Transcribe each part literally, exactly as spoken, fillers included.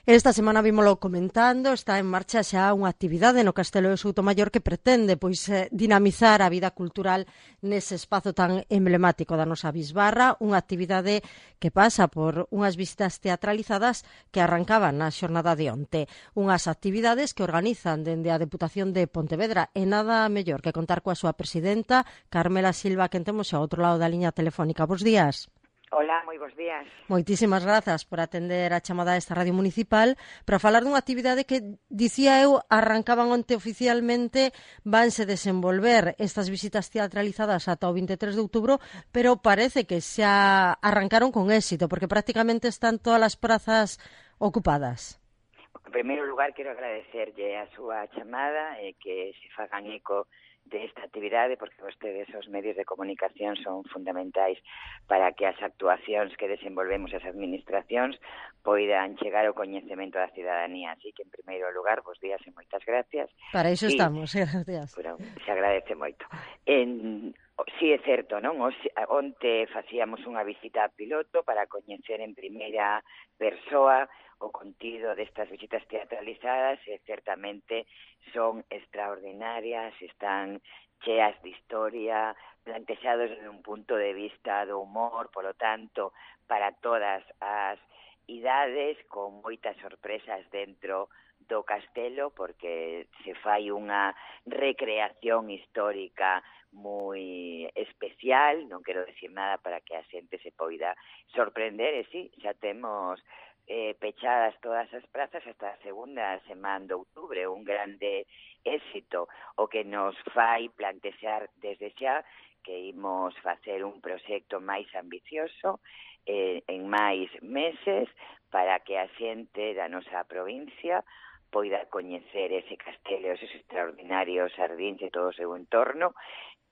Esta semana vímolo comentando, está en marcha xa unha actividade no Castelo de Soutomaior que pretende pois dinamizar a vida cultural nese espazo tan emblemático da nosa bisbarra, unha actividade que pasa por unhas visitas teatralizadas que arrancaban na xornada de onte, unhas actividades que organizan dende a Deputación de Pontevedra e nada mellor que contar coa súa presidenta, Carmela Silva, que temos ao outro lado da liña telefónica. Bos días. Hola, moi bons días. Moitísimas grazas por atender a chamada desta Radio Municipal para falar dunha actividade que, dicía eu, arrancaban onte oficialmente, vanse desenvolver estas visitas teatralizadas ata o vinte e tres de outubro, pero parece que xa arrancaron con éxito, porque prácticamente están todas as prazas ocupadas. En primeiro lugar, quero agradecerlle a súa chamada e que se fagan eco desta actividade, porque vostedes, os medios de comunicación, son fundamentais para que as actuacións que desenvolvemos as administracións poidan chegar ao coñecemento da cidadanía. Así que, en primeiro lugar, vos días e moitas gracias. Para iso sí, estamos, gracias. Pero se agradece moito. En, sí, é certo, non? Onte facíamos unha visita piloto para coñecer en primeira persoa o contido destas visitas teatralizadas e certamente son extraordinarias, están cheas de historia, plantexados desde un punto de vista do humor, polo tanto, para todas as idades, con moitas sorpresas dentro do castelo, porque se fai unha recreación histórica moi especial, non quero decir nada para que a xente se poida sorprender, e sí, xa temos eh, pechadas todas as prazas hasta a segunda semana de outubro, un grande éxito, o que nos fai plantexar desde xa que imos facer un proxecto máis ambicioso eh, en máis meses para que a xente da nosa provincia poida coñecer ese castelo, esos extraordinarios xardíns e todo o seu entorno.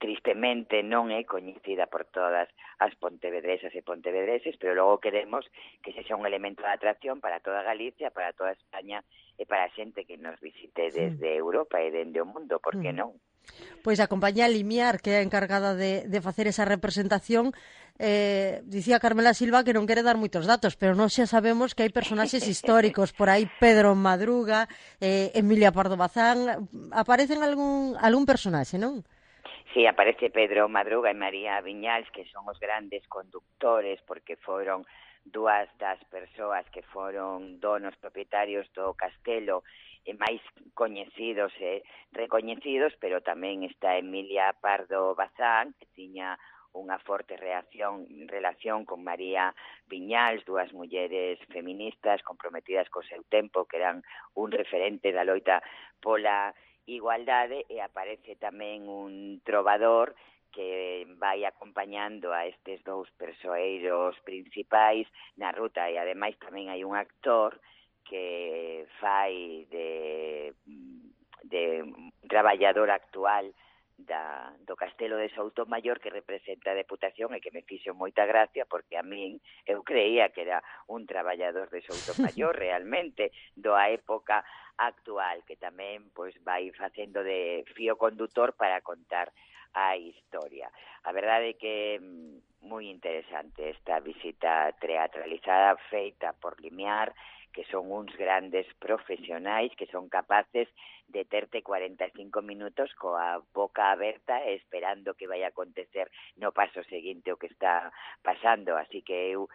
Tristemente non é coñecida por todas as pontevedresas e pontevedreses, pero logo queremos que sexa un elemento de atracción para toda Galicia, para toda España e para a xente que nos visite desde Europa e dende o mundo, por que non? Pois a compañía Limiar, que é a encargada de, de facer esa representación, eh, dicía Carmela Silva que non quere dar moitos datos, pero nós xa sabemos que hai personaxes históricos, por aí Pedro Madruga, eh, Emilia Pardo Bazán, aparecen algún, algún personaxe, non? Sí, aparece Pedro Madruga e María Viñals, que son os grandes conductores, porque foron dúas das persoas que foron donos propietarios do castelo e máis coñecidos e recoñecidos, pero tamén está Emilia Pardo Bazán, que tiña unha forte reacción, relación con María Viñals, dúas mulleres feministas comprometidas co seu tempo, que eran un referente da loita pola igualdade, e aparece tamén un trovador que vai acompañando a estes dous persoeiros principais na ruta, e ademais tamén hai un actor que fai de, de traballador actual da, do Castelo de Soutomaior, que representa a Deputación e que me fixo moita gracia, porque a min eu creía que era un traballador de Soutomaior realmente, do a época actual, que tamén pois vai facendo de fío condutor para contar a historia. A verdade é que moi interesante esta visita teatralizada feita por Limiar, que son uns grandes profesionais que son capaces de terte cuarenta e cinco minutos coa boca aberta esperando que vai acontecer no paso seguinte o que está pasando. Así que eu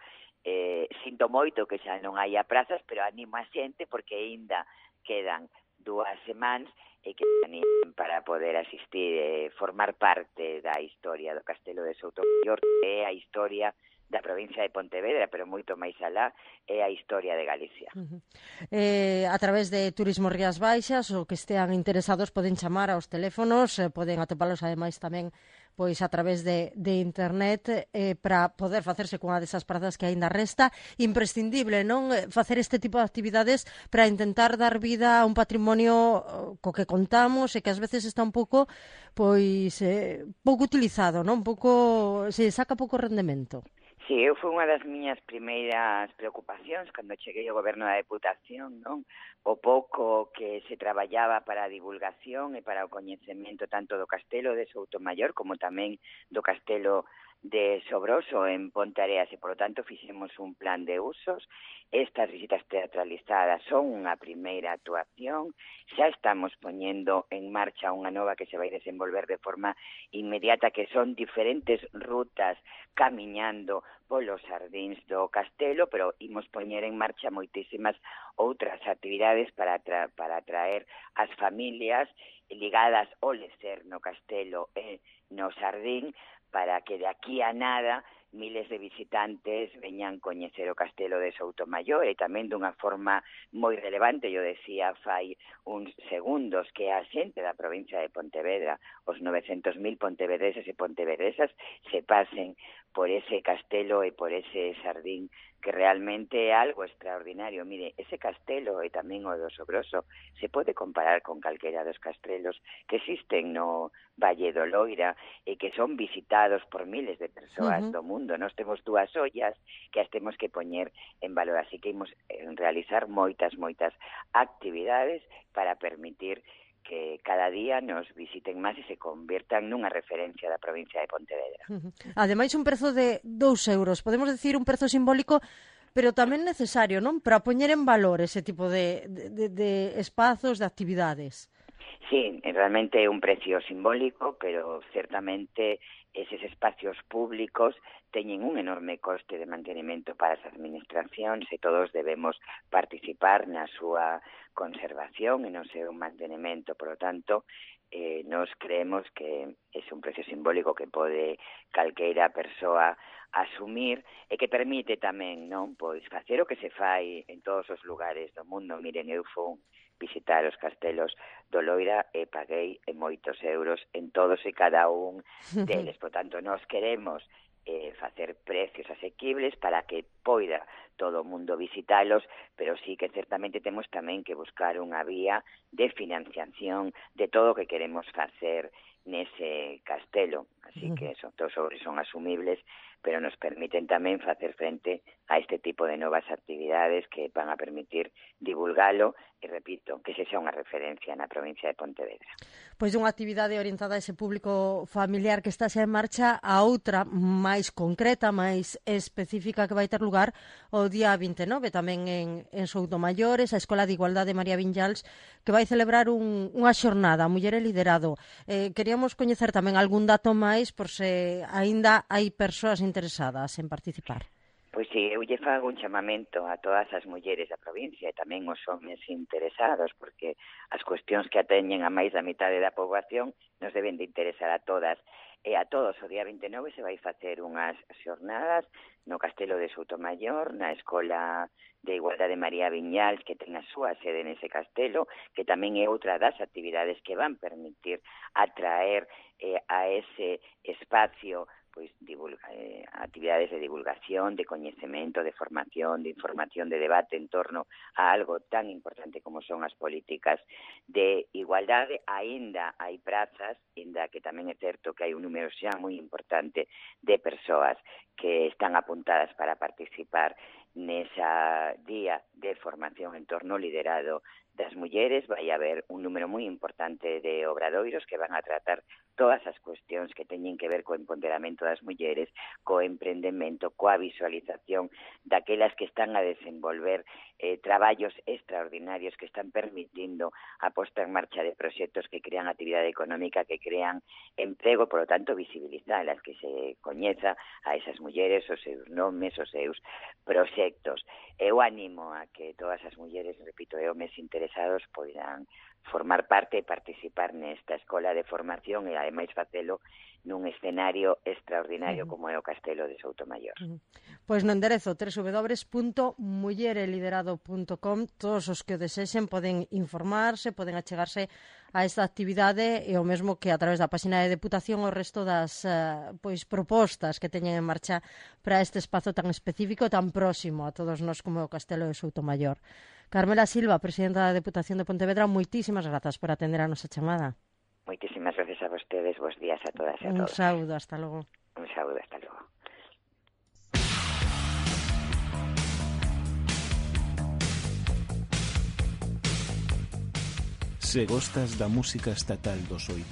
eh, sinto moito que xa non hai prazas, pero animo a xente porque aínda quedan dúas semanas e que animen para poder asistir e formar parte da historia do Castelo de Soutomaior, que é a historia da provincia de Pontevedra, pero moito máis alá, é a historia de Galicia. Uh-huh. Eh, a través de Turismo Rías Baixas, o que estean interesados poden chamar aos teléfonos, eh, poden atopalos ademais tamén pois a través de, de internet eh, para poder facerse cunha desas prazas que aínda resta. Imprescindible, non? Facer este tipo de actividades para intentar dar vida a un patrimonio co que contamos e que ás veces está un pouco pois eh, pouco utilizado, non? Un pouco, se saca pouco rendemento. Sí, eu foi unha das miñas primeiras preocupacións cando cheguei ao goberno da Deputación, non? O pouco que se traballaba para a divulgación e para o coñecemento tanto do Castelo de Soutomaior como tamén do Castelo de Sobroso en Ponteareas e, por lo tanto, fixemos un plan de usos. Estas visitas teatralizadas son unha primeira actuación. Xa estamos poñendo en marcha unha nova que se vai desenvolver de forma inmediata, que son diferentes rutas camiñando polos xardíns do castelo, pero imos poñer en marcha moitísimas outras actividades para, tra para atraer as familias ligadas ao lecer no castelo e no xardín, para que de aquí a nada miles de visitantes veñan coñecer o castelo de Soutomaior, e tamén dunha forma moi relevante, yo decía fai uns segundos, que a xente da provincia de Pontevedra, os novecentos mil pontevedreses e pontevedresas, se pasen por ese castelo e por ese xardín, que realmente é algo extraordinario. Mire, ese castelo e tamén o do Sobroso se pode comparar con calquera dos castelos que existen no Valle do Loira e que son visitados por miles de persoas uh -huh. do mundo. Nós temos dúas ollas que as temos que poñer en valor, así que imos realizar moitas, moitas actividades para permitir que cada día nos visiten máis e se conviertan nunha referencia da provincia de Pontevedra. Uh -huh. Ademais, un prezo de dous euros, podemos decir un prezo simbólico, pero tamén necesario, non? Para poñer en valor ese tipo de, de, de espazos, de actividades. Sí, realmente é un precio simbólico, pero certamente eses espacios públicos teñen un enorme coste de mantenimento para as administracións e todos debemos participar na súa conservación e no seu mantenimento. Por lo tanto, eh, nos creemos que é un precio simbólico que pode calqueira persoa asumir e que permite tamén, non, pois facer o que se fai en todos os lugares do mundo. Miren, eu fui visitar os castelos do Loira e paguei moitos euros en todos e cada un deles. Por tanto, nós queremos eh, facer precios asequibles para que poida todo o mundo visitalos, pero sí que certamente temos tamén que buscar unha vía de financiación de todo o que queremos facer nese castelo. Así que son, todos son asumibles, pero nos permiten tamén facer frente a este tipo de novas actividades que van a permitir divulgalo e, repito, que se xa unha referencia na provincia de Pontevedra. Pois unha actividade orientada a ese público familiar que está xa en marcha, a outra máis concreta, máis específica que vai ter lugar o día vinte e nove, tamén en, en Soutomaior, a Escola de Igualdade María Viñals, que vai celebrar un, unha xornada, Muller e Liderado. Eh, queríamos coñecer tamén algún dato máis, por se aínda hai persoas interesadas en participar. Pois si, eu lle fago un chamamento a todas as mulleres da provincia e tamén os homens interesados, porque as cuestións que ateñen a máis da mitade da poboación nos deben de interesar a todas e a todos. O día vinte e nove se vai facer unhas xornadas no Castelo de Soutomaior, na Escola de Igualdade María Viñals, que ten a súa sede nese castelo, que tamén é outra das actividades que van permitir atraer eh, a ese espacio pois divulga, eh, actividades de divulgación, de coñecemento, de formación, de información, de debate en torno a algo tan importante como son as políticas de igualdade. Aínda hai prazas, aínda que tamén é certo que hai un número xa moi importante de persoas que están apuntadas para participar nesa día de formación en torno ao liderado das mulleres. Vai haber un número moi importante de obradoiros que van a tratar todas as cuestións que teñen que ver co empoderamento das mulleres, co emprendemento, coa visualización daquelas que están a desenvolver eh, traballos extraordinarios que están permitindo a posta en marcha de proxectos que crean actividade económica, que crean emprego, por lo tanto visibilizalas, que se coñeza a esas mulleres, os seus nomes, os seus proxectos. Eu animo a que todas as mulleres, repito, e homes interesados poidan formar parte e participar nesta escola de formación e ademais facelo nun escenario extraordinario uh -huh. como é o Castelo de Soutomaior. Uh -huh. Pois no enderezo doble u doble u doble u punto muller e liderado punto com todos os que o desexen poden informarse, poden achegarse a esta actividade e o mesmo que a través da página de Deputación o resto das uh, pois propostas que teñen en marcha para este espazo tan específico, tan próximo a todos nós como o Castelo de Soutomaior. Carmela Silva, presidenta da Deputación de Pontevedra, moitísimas grazas por atender a nosa chamada. Moitísimas gracias a vostedes, bons días a todas e a Un todos. Un saúdo, hasta logo. Un saúdo, hasta logo. Se gostas da música estatal dos oitenta